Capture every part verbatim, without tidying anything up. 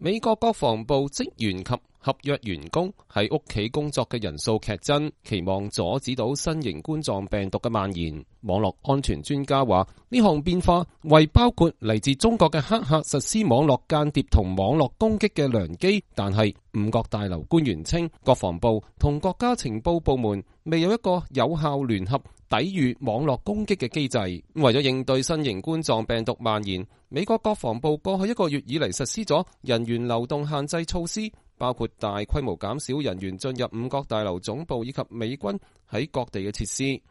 美國國防部職員及合約員工喺屋企工作嘅人數劇增，期望阻止到新型冠狀病毒嘅蔓延。網絡安全專家話，呢項變化為包括嚟自中國嘅黑客實施網絡間諜同網絡攻擊嘅良機，但係五角大樓官員稱，國防部同國家情報部門未有一個有效聯合抵禦網絡攻擊嘅機制。為咗應對新型冠狀病毒蔓延，美國國防部過去一個月以嚟實施咗人員流動限制措施，包括大規模減少人員進入五角大樓總部以及美軍喺各地嘅設施。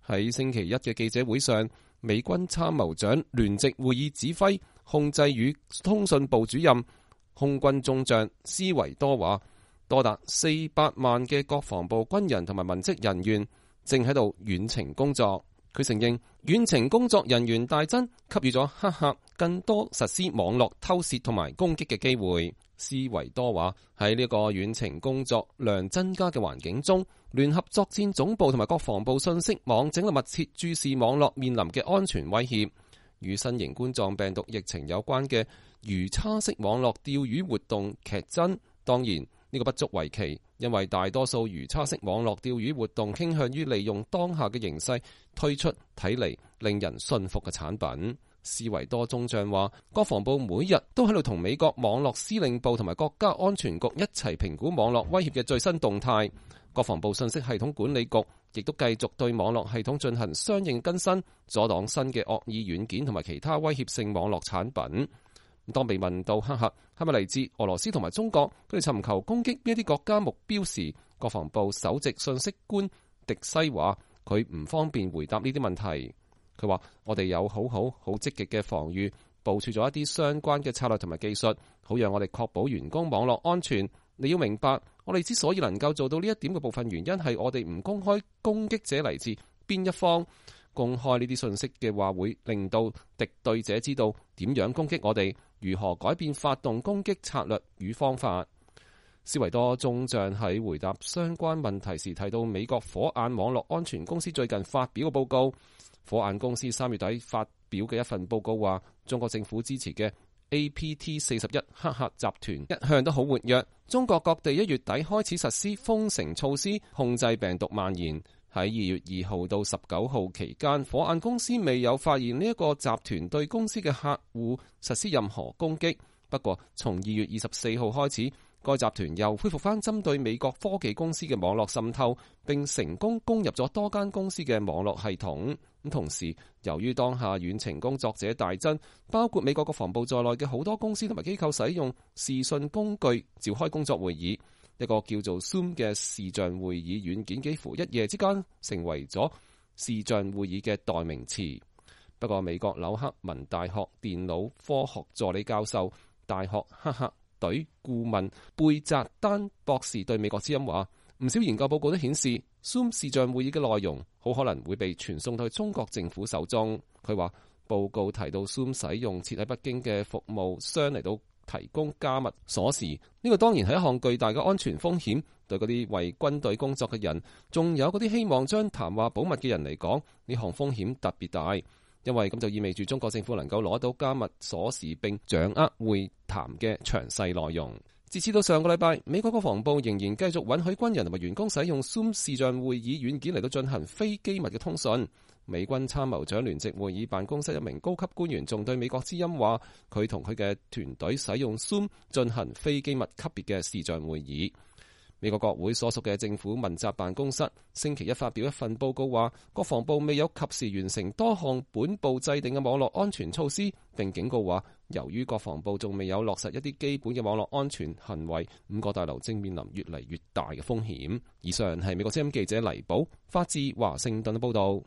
喺星期一嘅記者會上，美軍參謀長聯席會議指揮控制與通訊部主任空軍中將斯維多話，多達四百萬嘅國防部軍人同埋文職人員正喺度遠程工作。佢承認遠程工作人員大增，給予咗黑客更多實施網絡偷竊同埋攻擊嘅機會。斯維多話，喺呢個遠程工作量增加嘅環境中，聯合作戰總部同埋國防部信息網正喺度密切注視網絡面臨嘅安全威脅。與新型冠狀病毒疫情有關嘅魚叉式網絡釣魚活動劇增。當然呢個不足為奇，因為大多數魚叉式網絡釣魚活動傾向於利用當下嘅形勢推出睇嚟令人信服嘅產品。斯維多中將話，國防部每日都喺度同美國網絡司令部同埋國家安全局一齊評估網絡威脅嘅最新動態。國防部信息系統管理局亦都繼續對網絡系統進行相應更新，阻擋新嘅惡意軟件同埋其他威脅性網絡產品。當被問到黑客係咪嚟自俄羅斯同埋中國，佢哋尋求攻擊邊一啲國家目標時，國防部首席信息官迪西話佢唔方便回答呢啲問題。佢話，我哋有好好好積極嘅防禦，部署咗一啲相關嘅策略同埋技術，好讓我哋確保員工網絡安全。你要明白，我哋之所以能夠做到呢一點嘅部分原因係我哋唔公開攻擊者嚟自邊一方。公開呢啲信息嘅話，會令到敵對者知道點樣攻擊我哋，如何改變發動攻擊策略與方法。斯維多中將喺回答相關問題時提到，美國火眼網絡安全公司最近發表嘅報告。火眼公司三月底發表嘅一份報告話，中國政府支持嘅 A P T 四十一黑客集團一向都好活躍。中國各地一月底開始實施封城措施，控制病毒蔓延。喺二月二號到十九號期間，火眼公司未有發現呢一個集團對公司嘅客戶實施任何攻擊。不過，從二月二十四號開始，該集團又恢復翻針對美國科技公司嘅網絡滲透，並成功攻入咗多間公司嘅網絡系統。咁同時，由於當下遠程工作者大增，包括美國國防部在內嘅好多公司同埋機構使用視訊工具召開工作會議。一個叫做 Zoom 嘅視像會議軟件幾乎一夜之間成為咗視像會議嘅代名詞。不過，美國紐克文大學電腦科學助理教授、大學黑客隊顧問貝澤丹博士對美國之音話，唔少研究報告都顯示 Zoom 視像會議嘅內容好可能會被傳送到中國政府手中。佢話報告提到 Zoom 使用設喺北京嘅服務商嚟到提供加密鎖匙，呢個當然係一項巨大嘅安全風險。對嗰啲為軍隊工作嘅人，仲有嗰啲希望將談話保密嘅人嚟講，呢項風險特別大，因為咁就意味住中國政府能夠攞到加密鎖匙並掌握會談嘅詳細內容。截至到上個禮拜，美國國防部仍然繼續允許軍人同埋員工使用 Zoom 視像會議軟件嚟到進行非機密嘅通訊。美軍參謀長聯席會議辦公室一名高級官員仲對美國之音話，佢同佢嘅團隊使用 Zoom 進行非機密級別嘅視像會議。美國國會所屬嘅政府問責辦公室星期一發表一份報告話，國防部未有及時完成多項本部制定嘅網絡安全措施，並警告話，由於國防部仲未有落實一啲基本嘅網絡安全行為，五角大樓正面臨越嚟越大嘅風險。以上係美國之音記者黎寶發自華盛頓嘅報道。